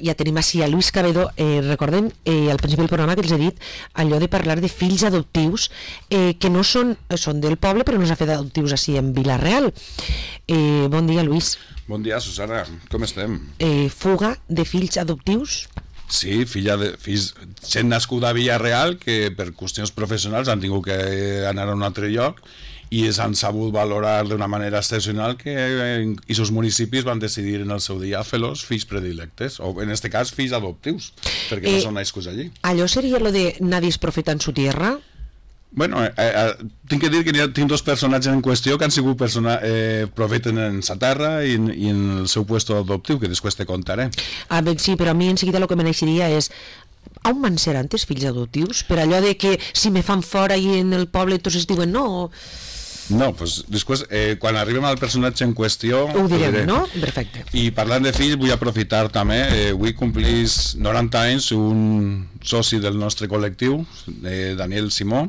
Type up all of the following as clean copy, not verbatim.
ja tenim així a Luis Cabedo. Recordem al principi del programa que els he dit allò de parlar de fills adoptius que no són del poble, però no s'ha fet adoptius així en Vila-real. Bon dia, Luis. Bon dia, Susana, com estem? Fuga de fills adoptius? Sí, fills, gent nascuda a Vila-real que per qüestions professionals han tingut que anar a un altre lloc i s'han sabut valorar d'una manera excepcional que aquests municipis van decidir en el seu dia fer-los fills predilectes, o en aquest cas fills adoptius, perquè no són nascuts allí. Allò seria lo de nadie es profeta en su tierra? Bueno, tinc que dir que tinc dos personatges en qüestió que han sigut profeten en sa terra i en el seu puesto adoptiu, que després te contaré. Sí, però a mi en seguida el que me naixeria és on van ser antes fills adoptius? Per allò de que si me fan fora i en el poble entonces diuen no... No, doncs després, quan arribem al personatge en qüestió... Ho direm, no? Perfecte. I parlant de fills, vull aprofitar també, avui complís 90 anys un soci del nostre col·lectiu, Daniel Simó,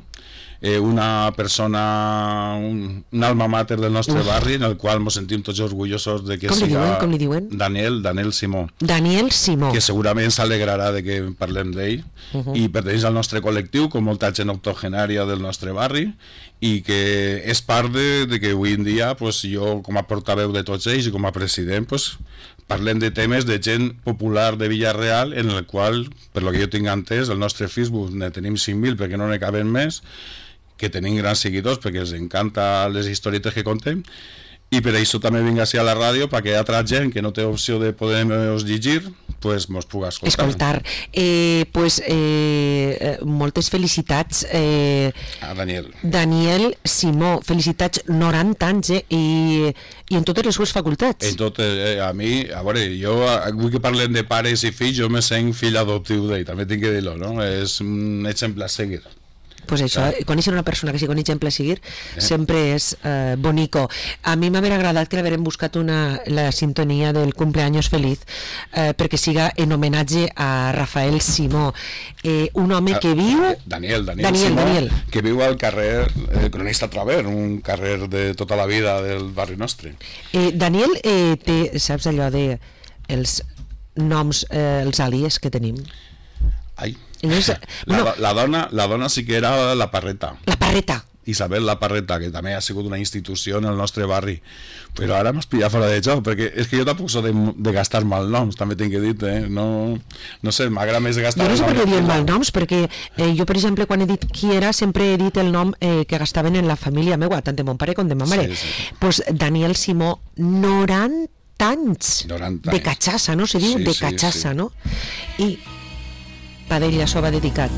una persona, un alma mater del nostre barri, en el qual ens sentim tots orgullosos de que siga... Com li diuen? Daniel Simó. Daniel Simó. Que segurament s'alegrarà de que parlem d'ell, i pertanyeix al nostre col·lectiu, com molta gent octogenària del nostre barri, i que és part de que avui en dia jo, com a portaveu de tots ells i com a president, parlem de temes de gent popular de Vila-real, en el qual, per lo que jo tinc entès, el nostre Facebook ne tenim 5.000 perquè no ne caben més, que tenim grans seguidors perquè els encanta les historietes que contem, i per això també vinc a la ràdio perquè altra gent que no té opció de poder-nos llegir mos pugui escoltar. Moltes felicitats a Daniel Simó, felicitats, 90 anys i en totes les sues facultats. En tot, a mi, a veure, jo avui que parlem de pares i fills, jo me sent fill adoptiu d'ell, també tinc que dir-ho, no? És un exemple a seguir. Pues això, conèixer una persona que sigui un exemple a seguir sempre és bonico. A mi m'haver agradat que l'haverem buscat la sintonia del cumpleaños feliz perquè siga en homenatge a Rafael Simó, un home que viu... Daniel Simó, que viu al carrer Cronista Traver, un carrer de tota la vida del barri nostre. Daniel té, saps allò de els noms, els àlies que tenim? Ai, la dona sí que era la Parreta. La Parreta. Isabel La Parreta, que també ha sigut una institució en el nostre barri, però ara m'has pillat fora de joc, perquè és que jo tampoc soc de gastar malnoms, també tinc que dir, no sé, m'agrada més de gastar malnoms. Jo no sé per què diuen malnoms, perquè jo, per exemple, quan he dit qui era, sempre he dit el nom que gastaven en la família meva, tant de mon pare com de ma mare. Pues Daniel Simó, 90 anys de catxassa, no? Se diu de catxassa, no? I per ell això va dedicat.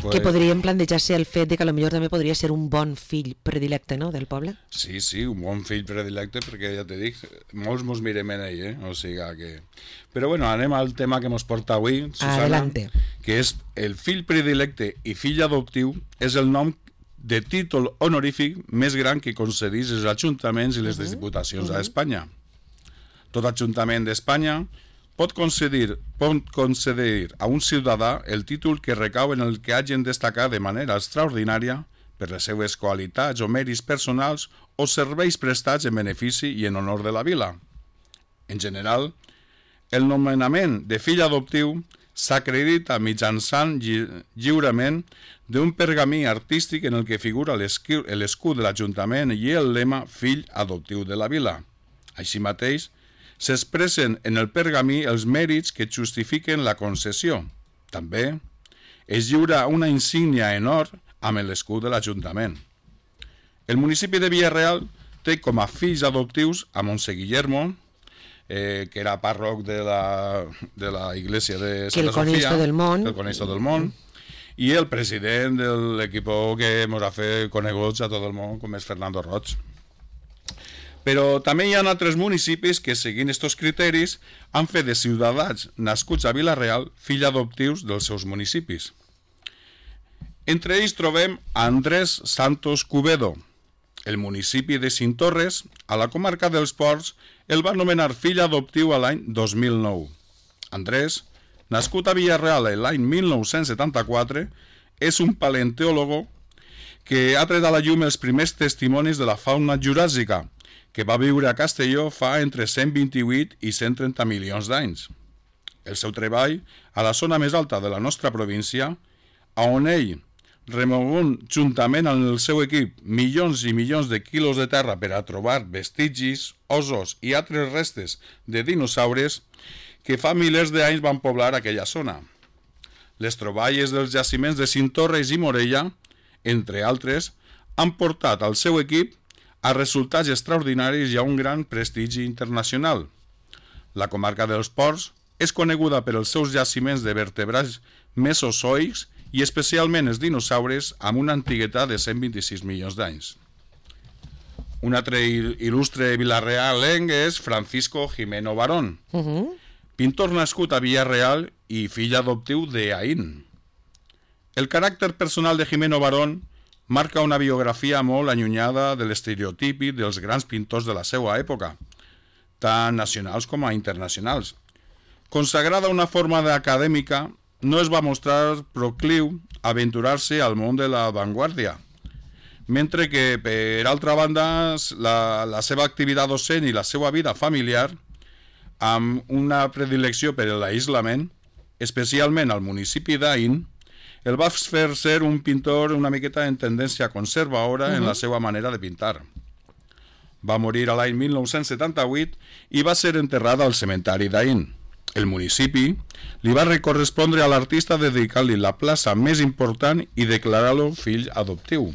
Que podríem plantejar-se el fet de que potser també podria ser un bon fill predilecte, no?, del poble? Sí, un bon fill predilecte, perquè ja te dic, molts mos mirem en ell, o sigui que... Però bueno, anem al tema que mos porta avui, Susana. Adelante. Que és el fill predilecte i fill adoptiu, és el nom de títol honorífic més gran que concedís els ajuntaments i les diputacions d'Espanya. Tot ajuntament d'Espanya pot concedir a un ciutadà el títol que recau en el que hagin destacat de manera extraordinària per les seues qualitats o mèrits personals o serveis prestats en benefici i en honor de la vila. En general, el nomenament de fill adoptiu s'acredita mitjançant lliurament d'un pergamí artístic en el que figura l'escut de l'Ajuntament i el lema fill adoptiu de la vila. Així mateix, s'expressen en el pergamí els mèrits que justifiquen la concessió. També es lliura una insígnia en or amb l'escut de l'Ajuntament. El municipi de Vila-real té com a fills adoptius a Montse Guillermo, que era pàrroc de la iglesia de Santa Sofia, el Conesto del Món, i el president de l'equip que ens ha fet coneguts a tot el món, com és Fernando Roig. Però també hi ha altres municipis que, seguint aquests criteris, han fet de ciutadans nascuts a Vila-real fills adoptius dels seus municipis. Entre ells trobem Andrés Santos Cubedo. El municipi de Cinctorres, a la comarca dels Ports, el va nomenar fill adoptiu a l'any 2009. Andrés, nascut a Villarreal l'any 1974, és un paleontòlogo que ha tret a la llum els primers testimonis de la fauna juràssica, que va viure a Castelló fa entre 128 i 130 milions d'anys. El seu treball, a la zona més alta de la nostra província, on ell, remogunt juntament amb el seu equip milions i milions de quilos de terra per a trobar vestigis, ossos i altres restes de dinosaures que fa milers d'anys van poblar aquella zona. Les troballes dels jaciments de Cinctorres i Morella, entre altres, han portat al seu equip a resultats extraordinaris i a un gran prestigi internacional. La comarca dels Ports és coneguda per els seus jaciments de vertebrats mesozoics i especialment els dinosaures amb una antiguitat de 126 milions d'anys. Un altre il·lustre vilarrealenc és Francisco Jimeno Barón, pintor nascut a Villarreal i fill adoptiu d'Aín. El caràcter personal de Jimeno Barón marca una biografia molt allunyada de l'estereotipi dels grans pintors de la seva època, tant nacionals com a internacionals. Consagrada una forma acadèmica, no es va mostrar procliu a aventurar-se al món de la vanguardia, mentre que, per altra banda, la seva activitat docent i la seva vida familiar, amb una predilecció per l'aïslament, especialment al municipi d'Aín, el va fer ser un pintor una miqueta en tendència conservadora en la seva manera de pintar. Va morir a l'any 1978 i va ser enterrada al cementari d'Aín. El municipi li va correspondre a l'artista dedicar-li la plaça més important i declarar-lo fill adoptiu.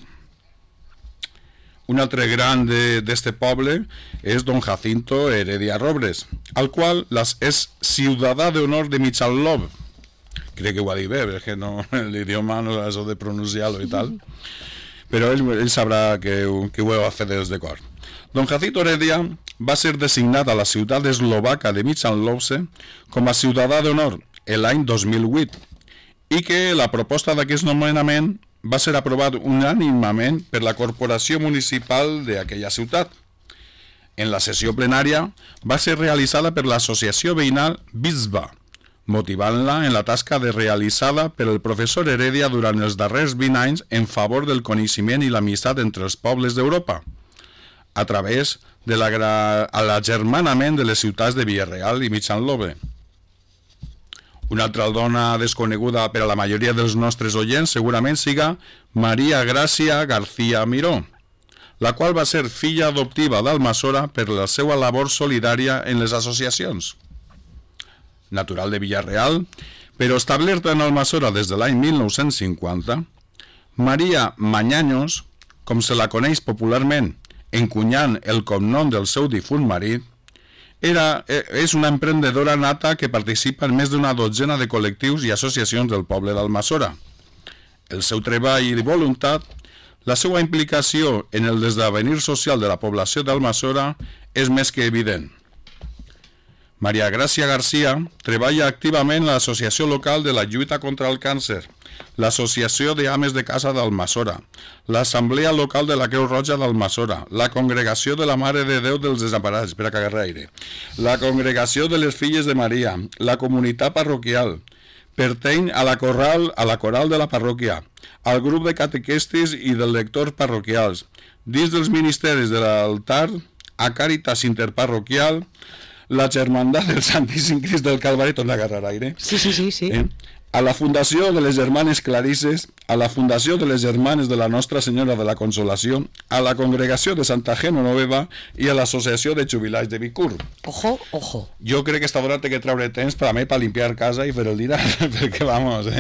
Un altre gran d'este poble és don Jacinto Heredia Robles, al qual és ciutadà d'honor de Michalov. Crec que ho ha dit bé, perquè no, l'idioma no és de pronunciar-lo i tal, però ell sabrà que ho heu fet des de cor. Don Jacinto Heredia va ser designat a la ciutat eslovaca de Michalovce com a ciutadà d'honor l'any 2008 i que la proposta d'aquest nomenament va ser aprovat unànimement per la corporació municipal d'aquella ciutat. En la sessió plenària va ser realitzada per l'associació veïnal Bisba, motivant-la en la tasca realitzada per el professor Heredia durant els darrers 20 anys en favor del coneixement i l'amistat entre els pobles d'Europa, a través de l'agermanament de les ciutats de Villarreal i Michalove. Una altra dona desconeguda per a la majoria dels nostres oients segurament siga Maria Gràcia García Miró, la qual va ser filla adoptiva d'Almassora per la seva labor solidària en les associacions. Natural de Villarreal, però establerta en Almassora des de l'any 1950, Maria Mañaños, com se la coneix popularment, encunyant el cognom del seu difunt marit, és una emprendedora nata que participa en més d'una dotzena de col·lectius i associacions del poble d'Almassora. El seu treball i voluntat, la seva implicació en el esdevenir social de la població d'Almassora és més que evident. Maria Gràcia García treballa activament en l'associació local de la lluita contra el càncer, l'Associació d'Ames de Casa d'Almassora, l'Assemblea Local de la Creu Roja d'Almassora, la Congregació de la Mare de Déu dels Desemparats, per a cagar aire, la Congregació de les Filles de Maria, la Comunitat Parroquial, pertany a la coral de la parròquia, al grup de catequistes i de lectors parroquials, dins dels ministeris de l'altar, a Càritas Interparroquial, la Germandat del Santíssim Crist del Calvari, torna a agarrar aire. Sí. A la Fundació de les Germanes Clarisses, a la Fundació de les Germanes de la Nostra Senyora de la Consolació, a la Congregació de Santa Genoveva i a l'Associació de Jubilats de Vicur. Ojo. Jo crec que esta dona té que treure temps per a mi, per limpiar casa i fer el dinar, perquè vamos,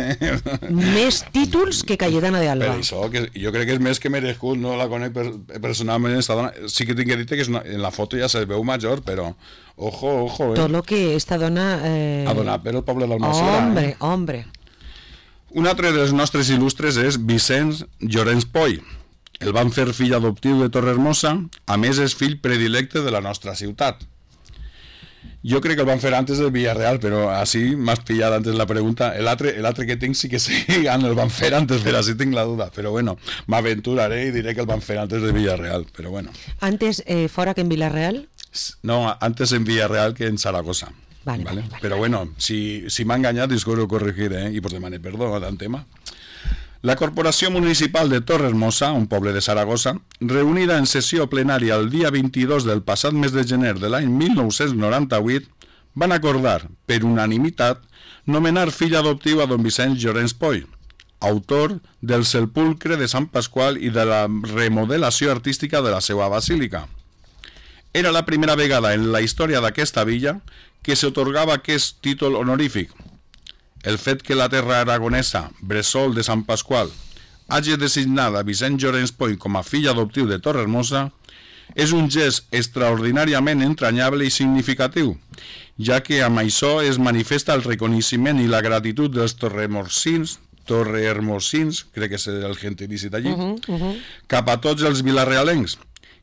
Més títols que Cayetana de Alba. Per això, que jo crec que és més que merescut, no la conec personalment, esta dona. Sí que tinc que dir que en la foto ja se veu major, però ojo. Tot lo que esta dona... ha donat per el poble d'Almassora. Hombre. Un altre dels nostres il·lustres és Vicenç Llorenç Poy. El van fer fill adoptiu de Torrehermosa, a més és fill predilecte de la nostra ciutat. Jo crec que el van fer antes del Villarreal, però així m'has pillat antes la pregunta. L'altre que tinc sí que sí, el van fer antes, però així tinc la duda. Però bueno, m'aventuraré i diré que el van fer antes del Villarreal, però bueno. ¿Antes fora que en Villarreal? No, antes en Villarreal que en Zaragoza. Vale. Però bueno, si m'ha enganyat, disculpo corregiré, i pues demane perdó del tema. La Corporació Municipal de Torrehermosa, un poble de Saragossa, reunida en sessió plenària el dia 22 del passat mes de gener de l'any 1998, van acordar, per unanimitat, nomenar fill adoptiu a don Vicenç Llorenç Poy, autor del sepulcre de Sant Pasqual i de la remodelació artística de la seva basílica. Era la primera vegada en la història d'aquesta villa que s'atorgava aquest títol honorífic. El fet que la terra aragonesa, bressol de Sant Pasqual, hagi designat a Vicenç Llorenç Poy com a fill adoptiu de Torrehermosa és un gest extraordinàriament entranyable i significatiu, ja que amb això es manifesta el reconeixement i la gratitud dels torrehermosins, crec que és el gentilici d'allí, cap a tots els vilarealencs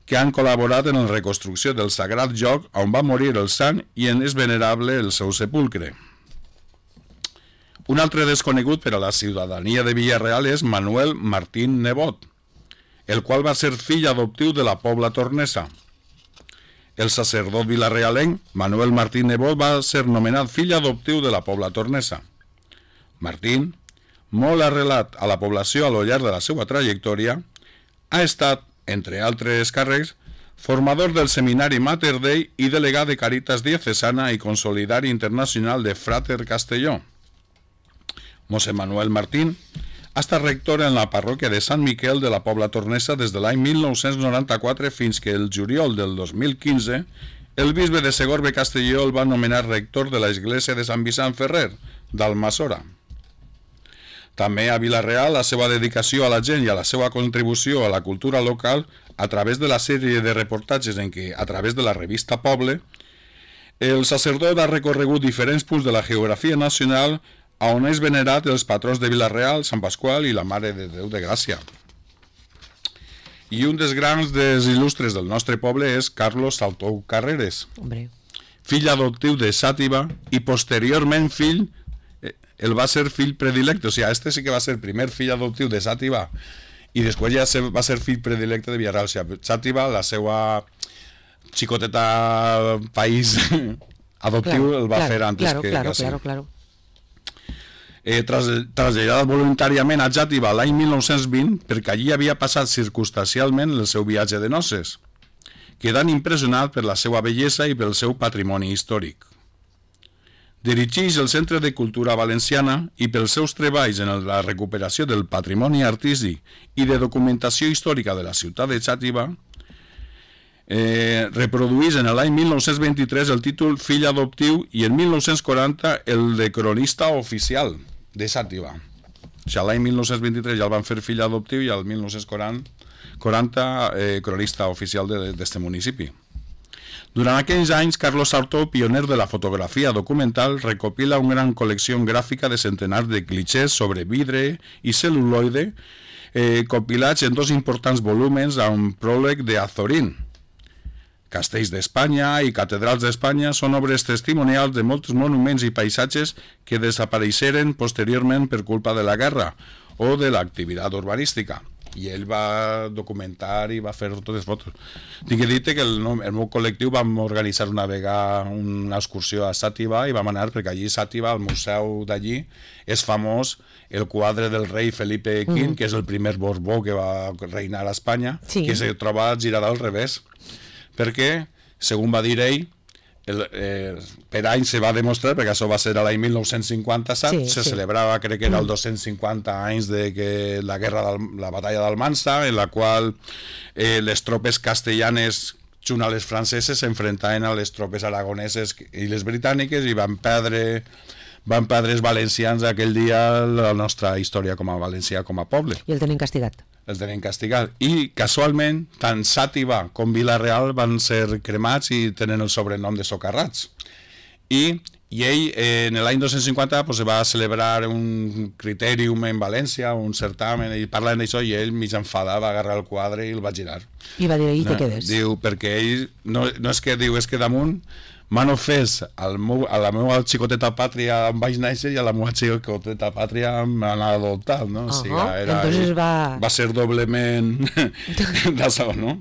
que han col·laborat en la reconstrucció del sagrat lloc on va morir el sant i en és venerable el seu sepulcre. Un altre desconegut per a la ciutadania de Villarreal és Manuel Martín Nebot, el qual va ser fill adoptiu de la Pobla Tornesa. El sacerdot vilarealenc Manuel Martín Nebot va ser nomenat fill adoptiu de la Pobla Tornesa. Martín, molt arrelat a la població a lo llarg de la seva trajectòria, ha estat, entre altres càrrecs, formador del Seminari Mater Dei i delegat de Caritas Diocesana i consolidari internacional de Frater Castelló. Mossèn Manuel Martín ha estat rector en la parròquia de Sant Miquel de la Pobla Tornesa des de l'any 1994 fins que el juliol del 2015 el bisbe de Segorbe Castelló el va nomenar rector de l'església de Sant Vicent Ferrer, d'Almassora. També a Vila-real la seva dedicació a la gent i a la seva contribució a la cultura local a través de la sèrie de reportatges en què, a través de la revista Poble, el sacerdot ha recorregut diferents punts de la geografia nacional on és venerat els patrons de Vila-real, Sant Pasqual i la Mare de Déu de Gràcia. I un dels grans dels il·lustres del nostre poble és Carlos Saltou Carreres, fill adoptiu de Xàtiva i posteriorment el va ser fill predilecte, o sigui, este sí que va ser primer fill adoptiu de Xàtiva i després ja va ser fill predilecte de Villarreal. O sigui, Xàtiva, la seva xicoteta país adoptiu, el va fer antes que sí. Claro. Traslladat voluntàriament a Xàtiva l'any 1920 perquè allí havia passat circumstancialment el seu viatge de noces, quedant impressionat per la seva bellesa i pel seu patrimoni històric. Dirigeix el Centre de Cultura Valenciana i pels seus treballs en la recuperació del patrimoni artístic i de documentació històrica de la ciutat de Xàtiva, reprodueix en l'any 1923 el títol fill adoptiu i en 1940 el de cronista oficial de Xàtiva. O sigui, l'any 1923 ja el van fer fill adoptiu i al 1940 cronista oficial d'este municipi. Durant aquells anys, Carlos Sartó, pioner de la fotografia documental, recopila una gran col·lecció gràfica de centenars de clichés sobre vidre i cel·luloide, compilats en 2 importants volúmens amb pròleg de Azorín. Castells d'Espanya i catedrals d'Espanya són obres testimonials de molts monuments i paisatges que desapareixeren posteriorment per culpa de la guerra o de l'activitat urbanística. I ell va documentar i va fer totes les fotos. Tinc que dir-te que el meu col·lectiu vam organitzar una vegada una excursió a Xàtiva i vam anar perquè allí a Xàtiva, al museu d'allí, és famós el quadre del rei Felipe V, que és el primer Borbó que va reinar a Espanya, que se troba girat al revés. Perquè, segons va dir ell, per any se va demostrar, perquè això va ser a l'any 1957, se celebrava, crec que era el 250 anys de que la batalla d'Almansa, en la qual les tropes castellanes junt a les franceses s'enfrontaven a les tropes aragoneses i les britàniques i van perdre els valencians aquell dia la nostra història com a valencià, com a poble. I el tenen castigat. Els tenen castigat. I, casualment, tant Xàtiva com Vila-real van ser cremats i tenen el sobrenom de socarrats. i ell en l'any 250 pues, se va celebrar un critèrium en València, un certamen, i parlant d'això, i ell mig enfadat va agarrar el quadre i el va girar. I va dir, i te quedes. Diu, perquè ell, no és que diu, és que damunt m'han ofès a la meva xicoteta pàtria em vaig néixer i a la meva xicoteta pàtria m'han adoptat, no? O sigui, entonces va ser doblement d'això, no?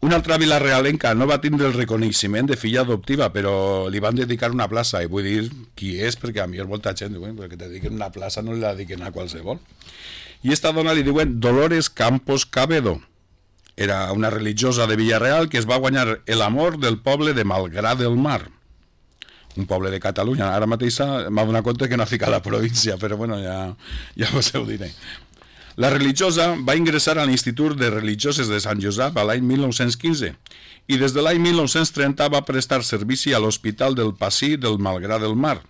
Una altra vilarealenca no va tindre el reconeixement de filla adoptiva, però li van dedicar una plaça, i vull dir qui és, perquè a mi és molta gent, perquè te dediquen una plaça no li la dediquen a qualsevol. I esta dona li diuen Dolores Campos Cabedo. Era una religiosa de Villarreal que es va guanyar l'amor del poble de Malgrat del Mar, un poble de Catalunya. Ara mateix m'ha donat compte que no ha ficat la província, però bueno, ja us ho diré. La religiosa va ingressar a l'Institut de Religioses de Sant Josep a l'any 1915 i des de l'any 1930 va prestar servici a l'Hospital del Passí del Malgrat del Mar,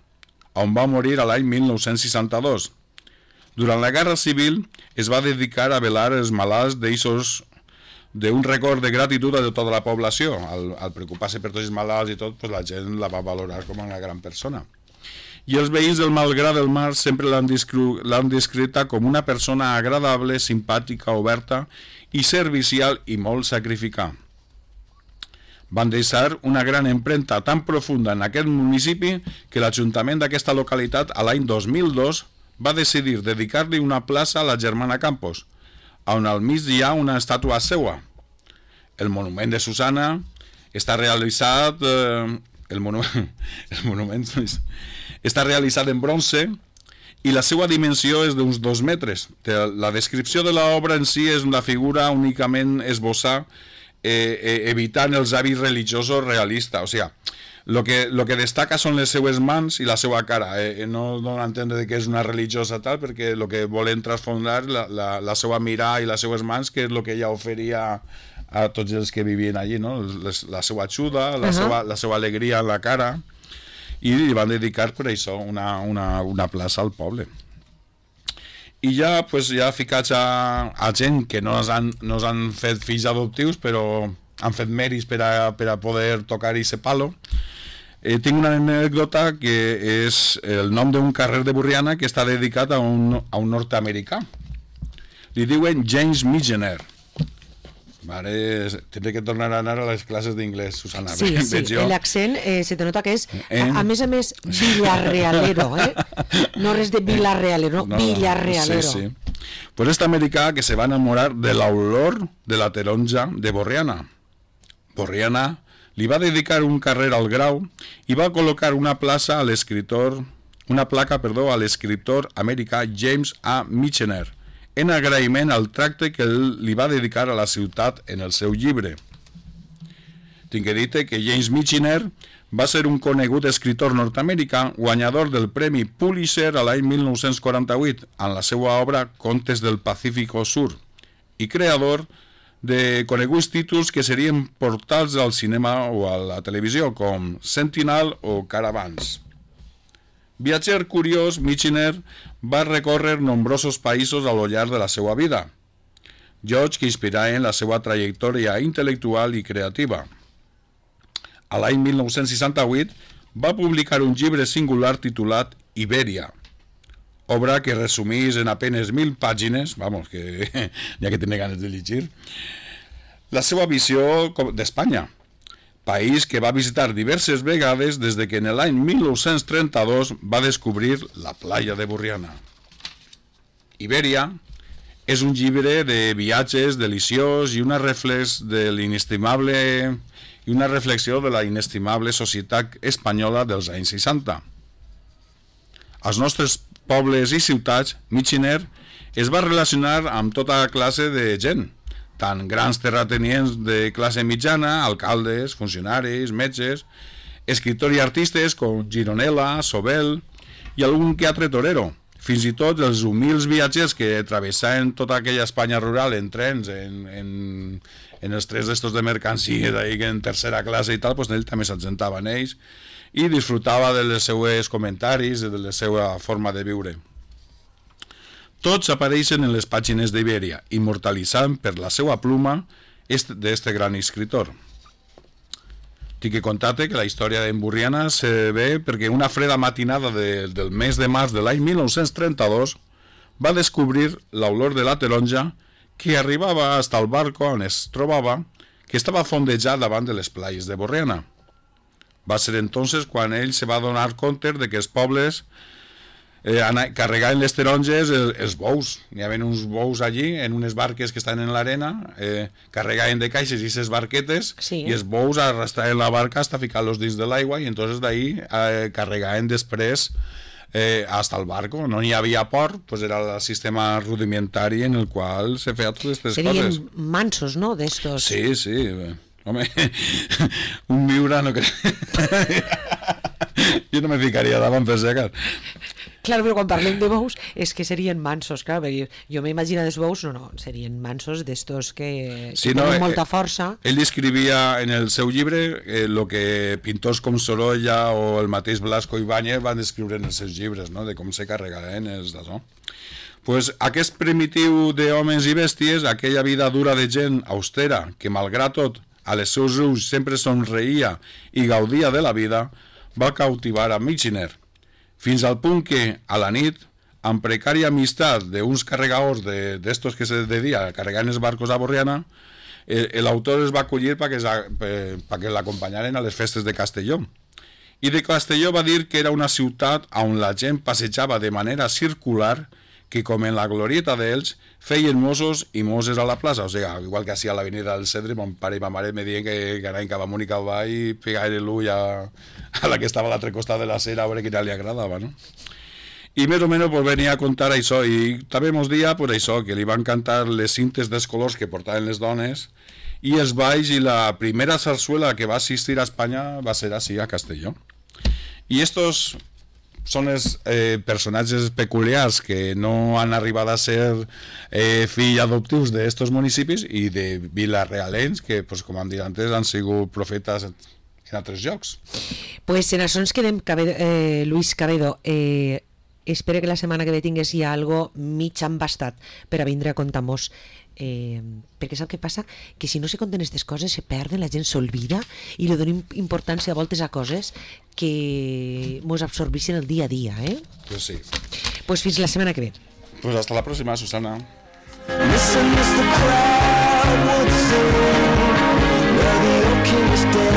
on va morir a l'any 1962. Durant la Guerra Civil es va dedicar a velar els malalts d'un record de gratitud a tota la població. Al preocupar-se per tots els malalts i tot, pues la gent la va valorar com una gran persona. I els veïns del Malgrat del Mar sempre l'han descrita com una persona agradable, simpàtica, oberta i servicial i molt sacrificada. Van deixar una gran empremta tan profunda en aquest municipi que l'Ajuntament d'aquesta localitat a l'any 2002 va decidir dedicar-li una plaça a la germana Campos, on al mig hi ha una estàtua seua. El monument de Susana està realitzat està realitzat en bronze i la seva dimensió és d'uns 2 metres. La descripció de l'obra en si és una figura únicament esbossar, evitant els hàbits religiosos realistes. O sigui, lo que destaca són les seues mans i la seva cara. No dona a entendre que és una religiosa tal, perquè el que volen transfondar la seva mirada i les seues mans, que és el que ella oferia a tots els que vivien allí, no? La seva ajuda, la seva alegria en la cara, i li van dedicar per això una plaça al poble. I ja ficats a gent que no han fet fills adoptius, però han fet mèrits per a poder tocar aquest palo. Tinc una anècdota que és el nom d'un carrer de Borriana que està dedicat a un nord-americà. Li diuen James Michener. Tindré que tornar a anar a les classes d'inglès, Susana. Sí, l'accent se te nota que és, a més, villarrealero, no res de Vilarealero, no, Villarrealero. Sí. Pues este americà que se va enamorar de l'olor de la taronja de Borriana. Borriana li va dedicar un carrer al Grau i va col·locar una placa a l'escriptor americà James A. Michener, en agraïment al tracte que li va dedicar a la ciutat en el seu llibre. Tinc que dir que James Michener va ser un conegut escriptor nord-americà guanyador del Premi Pulitzer a l'any 1948 en la seva obra Contes del Pacífico Sur i creador de coneguts títols que serien portats al cinema o a la televisió com Sentinel o Caravans. Viatger curiós, Michener va recórrer nombrosos països a lo llarg de la seva vida, llocs que inspiraven la seva trajectòria intel·lectual i creativa. A l'any 1968 va publicar un llibre singular titulat Ibèria, obra que resumís en apenas 1.000 pàgines, que ja que tenia ganes de llegir, la seva visió d'Espanya, país que va visitar diverses vegades des de que en l'any 1932 va descobrir la playa de Borriana. Ibèria és un llibre de viatges deliciós i una reflexió de la inestimable societat espanyola dels anys 60. Als nostres pobles i ciutats, Michener es va relacionar amb tota classe de gent, tant grans terratenients de classe mitjana, alcaldes, funcionaris, metges, escriptors i artistes com Gironella, Sobel i algun que altre torero. Fins i tot els humils viatgers que travessaven tota aquella Espanya rural en trens, en els trens d'estos de mercancia, en tercera classe i tal, doncs ell també s'assentava en ells i disfrutava dels seus comentaris i de la seva forma de viure. Tots apareixen en les pàgines d'Ibèria, immortalitzant per la seva pluma d'este gran escritor. Tinc que contar-te que la història d'en Burriana se ve perquè una freda matinada del mes de març de l'any 1932 va descobrir l'olor de la taronja que arribava fins al barco on es trobava, que estava fondejat davant de les platges de Borriana. Va ser entonces quan ell se va donar compte de que els pobles carregaven les taronges els bous. N'hi havia uns bous allí en unes barques que estan en l'arena, carregaven de caixes i ses barquetes, sí, i els bous arrastraven la barca hasta ficar-los dins de l'aigua i entonces d'ahí carregaven després hasta el barco. No hi havia port, pues era el sistema rudimentari en el qual se feia totes aquestes coses. Serien mansos, no?, d'estos. Sí, sí. Home, un viure no crec. Jo no me ficaria davant per si acaso. Clar, però quan parlem de bous és que serien mansos, clar, perquè jo m'imagino dels bous, no, serien mansos d'estos que tenen molta força. Ell escrivia en el seu llibre el que pintors com Sorolla o el mateix Blasco Ibáñez van descriure en els seus llibres, no?, de com se carregaven els d'això. Pues aquest primitiu d'homes i bèsties, aquella vida dura de gent austera, que malgrat tot a les seus ulls sempre somreia i gaudia de la vida, va cautivar a Michener, fins al punt que, a la nit, amb precària amistat d'uns carregadors d'estos que se dedica a carregar en els barcos a Borriana, l'autor es va acollir perquè l'acompanyaren a les festes de Castelló. I de Castelló va dir que era una ciutat on la gent passejava de manera circular, que com en la glorieta d'ells feien mossos i mosses a la plaça, o sigui, igual que així a l'avenida del Cedre, mon pare i ma mare me diuen que anaven cap amunt i cap avall i pegaven l'ull a la que estava a l'altre costat de la cera a veure quina li agradava, no? I més o menys pues, venia a contar això, i també mos dia pues, això, que li van cantar les cintes dels colors que portaven les dones i els balls, i la primera sarsuela que va assistir a Espanya va ser així, a Castelló. I estos són els personatges peculiars que no han arribat a ser fills adoptius d'estos municipis i de vilarealens que, pues, com hem dit antes, han sigut profetes en altres llocs. Pues en això ens quedem, Luis Cabedo. Espero que la setmana que ve tingués ja algo mig embastat per a vindre a contar-nos, perquè sap què passa? Que si no se conten aquestes coses se perden, la gent s'olvida i li donem importància a voltes a coses que mos absorbeixen el dia a dia, Pues sí. Pues fins la setmana que ve. Pues hasta la próxima, Susana.